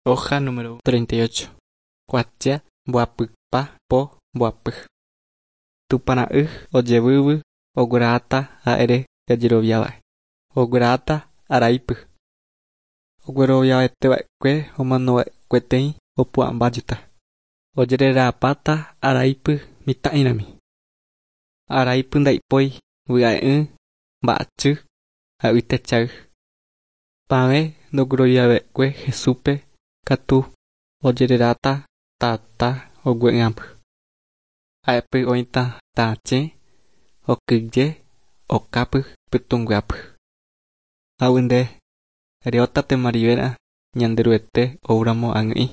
Hoja número 38. Kuatia mboapypa po mboapy. Tupãra'y ojevývy ogueraháta ha'ére jajeroviáva'e. Ogueraháta araípy. Ogueroviaveteva'ekue omanova'ekueteĩ opu'ãmbájyta. Ojererahapáta araípy mitã'írãmi. Araípy ndaipói vy'a'ỹ mba'achy ha ytechay. Pavẽ ndogueroviava'ekue Jesúspe katu ojereráta tata ogue'ỹapy. Ha'épy oĩta tachẽ okyje okápy pytũngueápy. Águi nde rehóta temarivéra Ñanderuete oúramo ag̃ui'i.